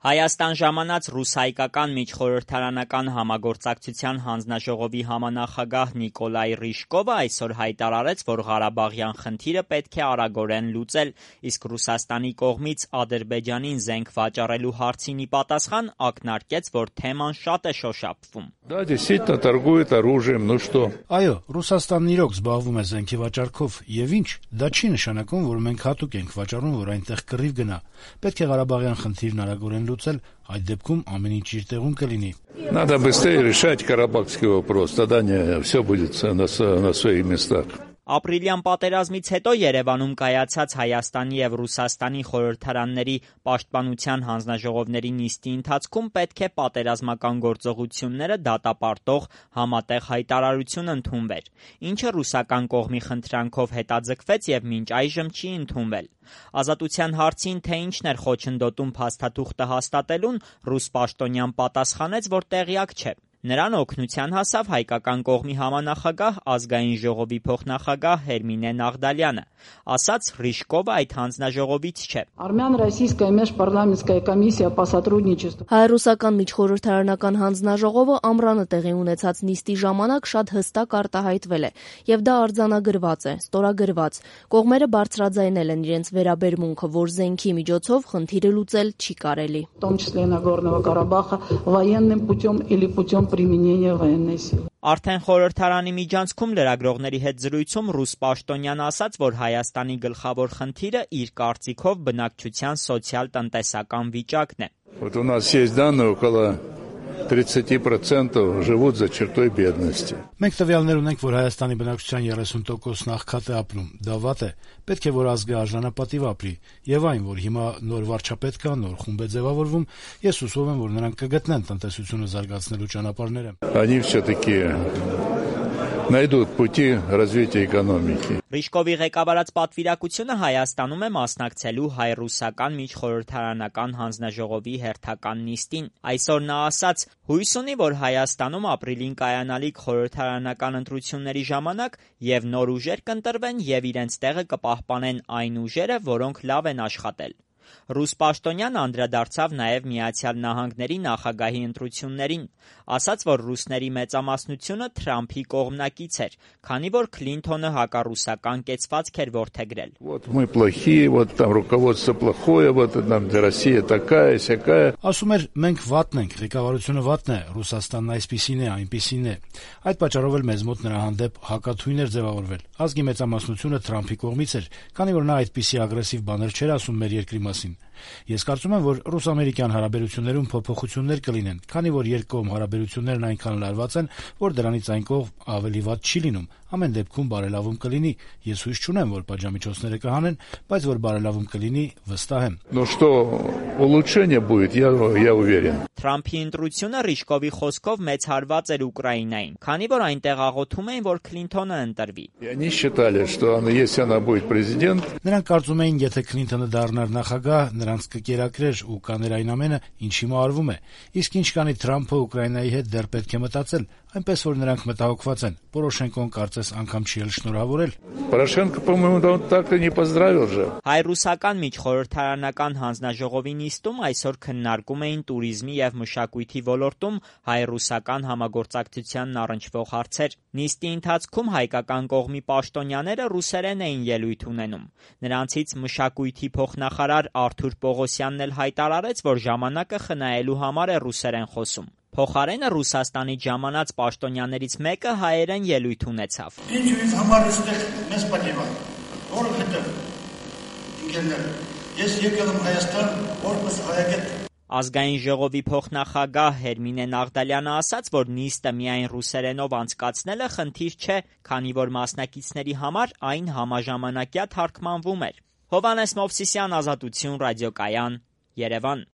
Հայաստան ժամանած ռուս-հայկական միջխորհրդարանական համագործակցության հանձնաժողովի համանախագահ Նիկոլայ Ռիժկովը այսօր հայտարարեց, որ Ղարաբաղյան խնդիրը պետք է արագորեն լուծել, իսկ Ռուսաստանի կողմից Ադրբեջանին զենք վաճառելու հարցին ի պատասխան ակնարկեց, որ թեման շատ է շոշափվում։ Այո, Ռուսաստանն իրոք զբաղվում է զենքի վաճառքով, եւ ինչ, դա չի նշանակում, որ մենք հատուկ ենք վաճառում, որ այնտեղ կռիվ գնա։ Պետք է Ղարաբաղյան խնդիրն արագորեն լուծել, այդ դեպքում ամեն ինչ իր տեղում կլինի։ Надо быстрее решать карабахский вопрос, тогда все будет на своих местах. Ապրիլյան պատերազմից հետո Երևանում կայացած Հայաստանի եւ Ռուսաստանի խորհրդարանների պաշտպանության հանձնաժողովների նիստի ընթացքում պետք է պատերազմական գործողությունները դատապարտող համատեղ հայտարարություն ընդունվեր, ինչը ռուսական կողմի խնդրանքով հետաձգվեց եւ մինչ այժմ չի ընդունվել։ Ազատության հարցին, թե ինչն էր խոչընդոտում փաստաթուղթը հաստատելուն, ռուս պաշտոնյան պատասխանեց, որ տեղյակ չէ։ Նրան օգնության հասավ հայկական կողմի համանախագահ ազգային ժողովի փոխնախագահ Հերմինե Նաղդալյանը, ասաց Ռիժկովը այդ հանձնաժողովից չէ։ Արմյան-ռոսийская межпарламентская комиссия по сотрудничеству։ Հայ-ռուսական միջխորհրդարանական հանձնաժողովը ամռանը տեղի ունեցած նիստի ժամանակ շատ հստակ արտահայտվել է, եւ դա արձանագրված է, ստորագրված։ Կողմերը բարձրաձայնել են իրենց վերաբերմունքը, որ զենքի միջոցով խնդիրը լուծել չի կարելի։ В том числе Нагорного Карабаха военным путем или путем применения военной силы։ Արդեն խորհրդարանի միջանցքում լրագրողների հետ зрույցում ռուս պաշտոնյան ասաց, որ Հայաստանի гլխավոր խնդիրը իր կարծիքով բնակչության սոցիալ-տնտեսական վիճակն է։ Вот у нас есть данные, около 30% живут за чертой бедности. Մենք տվյալներ ունենք, որ Հայաստանի բնակչության 30%-ն աղքատ է ապրում։ Դա վատ է։ Պետք է, որ ազգը արժանապատիվ ապրի։ Եվ այն, որ հիմա նոր վարչապետ կա, նոր խումբ է ձևավորվում, ես հուսով եմ, որ նրանք կգտնեն տնտեսությունը զարգացնելու ճանապարհները։ Они все-таки найдут пути развития экономики. Ռիժկովի ղեկավարած պատվիրակությունը Հայաստանում է մասնակցելու հայ-ռուսական միջխորհրդարանական հանձնաժողովի հերթական նիստին։ Այսօր նա ասաց, հույս ունի, որ Հայաստանում ապրիլին կայանալիք խորհրդարանական ընտրությունների ժամանակ եւ նոր ուժեր կընտրվեն եւ իրենց տեղը կպահպանեն այն ուժերը, որոնք լավ են աշխատել։ Ռուս պաշտոնյան անդրադարձավ նաև Միացյալ Նահանգների նախագահի ընտրություններին, ասաց, որ ռուսների մեծամասնությունը Թրամփի կողմնակից էր, քանի որ Քլինթոնը հակառուսական կեցվածք էր որդեգրել։ Вот мы плохие, вот там руководство плохое, вот там Россия такая, сякая։ Ասում էր, մենք վատն ենք, ղեկավարությունը վատն է, Ռուսաստանն այսպիսին է, այնպիսին է։ Այդ պատճառով էլ մեզ մոտ նրա հանդեպ հակաթույն էր ձևավորվել։ Ազգի մեծամասնությունը Թրամփի կողմից էր, քանի որ նա այդպիսի ագրեսիվ բաներ չէր ասում մեր երկրի մասին։ Ես կարծում եմ, որ ռուս-ամերիկյան հարաբերություններում փոփոխություններ կլինեն, քանի որ երկկողմ հարաբերություններն այնքան լարված են, որ դրանից այն կողմ ավելի վատ չի լինում։ Ամեն դեպքում բարելավում կլինի։ Ես հույս չունեմ, որ պատժամիջոցները կհանեն, բայց որ բարելավում կլինի, վստահ եմ։ Ну что, улучшение будет, я уверен։ Թրամփի ընտրությունը Ռիժկովի խոսքով մեծ հարված էր Ուկրաինային, քանի որ այնտեղ աղոթում էին, որ Քլինթոնը ընտրվի։ Они считали, что если она будет президент, նրանք կարծում էին, եթե Քլինթոնը դառնար նախագահ, նրանց կկերակրեր ու կաներ այն ամենը, ինչ հիմա արվում է։ Իսկ ինչ կանի Թրամփը Ուկրաինայի հետ դեռ պետք է մտածել, այնպես որ նրանք մտահոգված են։ Պորոշենկոն կարծես անգամ չի էլ շնորհավորել։ Порошенко, по-моему, так и не поздравил же։ Հայ-ռուսական միջխորհրդարանական հանձնաժողովի նիստում այսօր քննարկում էին туриզմի եւ մշակույթի ոլորտում հայ-ռուսական համագործակցությանն առնչվող հարցեր։ Նիստի ընթացքում հայկական կողմի պաշտոնյաները ռուսերեն էին ելույթ ունենում։ Նրանցից մշակույթի փոխնախարար Արթուր Պողոսյանն էլ հայտարարեց, որ ժամանակը խնայելու համար է ռուսերեն խոսում։ Փոխարենը Ռուսաստանից ժամանած պաշտոնյաներից մեկը հայերեն ելույթ ունեցավ։ Ինչ ինձ համար էստեղ մեծ պատիվ է, որովհետև ինքերներ, ես եկել եմ Հայաստան որպես հայագետ։ Ազգային ժողովի փոխնախագահ Հերմինե Նաղդալյանը ասաց, որ նիստը միայն ռուսերենով անցկացնելը խնդիր չէ, քանի որ մասնակիցների համար այն համաժամանակյա թարգմանվում էր։ Հովհաննես Մովսիսյան, Ազատություն, ռադիոկայան, Երևան։